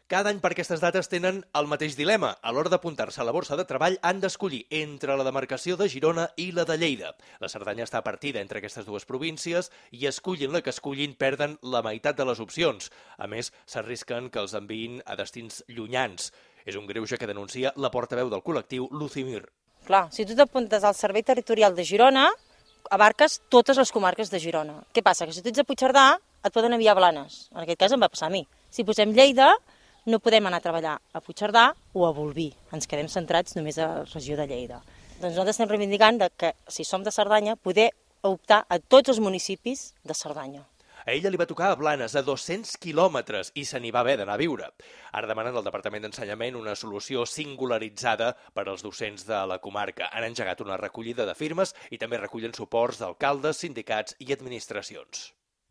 Cada any per aquestes dates tenen el mateix dilema. A l'hora d'apuntar-se a la borsa de treball han d'escollir entre la demarcació de Girona i la de Lleida. La Cerdanya està partida entre aquestes dues províncies i escullin la que escullin perden la meitat de les opcions. A més, s'arrisquen que els enviïn a destins llunyans. És un greuge que denuncia la portaveu del col·lectiu, Lucimir. Clar, si tu t'apuntes al Servei Territorial de Girona, abarques totes les comarques de Girona. Què passa? Que si tu ets a Puigcerdà, et poden enviar a Blanes. En aquest cas em va passar a mi. Si posem Lleida, no podem anar a treballar a Puigcerdà o a Bolvir. Ens quedem centrats només a la regió de Lleida. Doncs nosaltres estem reivindicant que, si som de Cerdanya, poder optar a tots els municipis de Cerdanya. A ella li va tocar a Blanes, a 200 quilòmetres, i se n'hi va haver d'anar a viure. Ara demanen al Departament d'Ensenyament una solució singularitzada per als docents de la comarca. Han engegat una recollida de firmes i també recullen suports d'alcaldes, sindicats i administracions.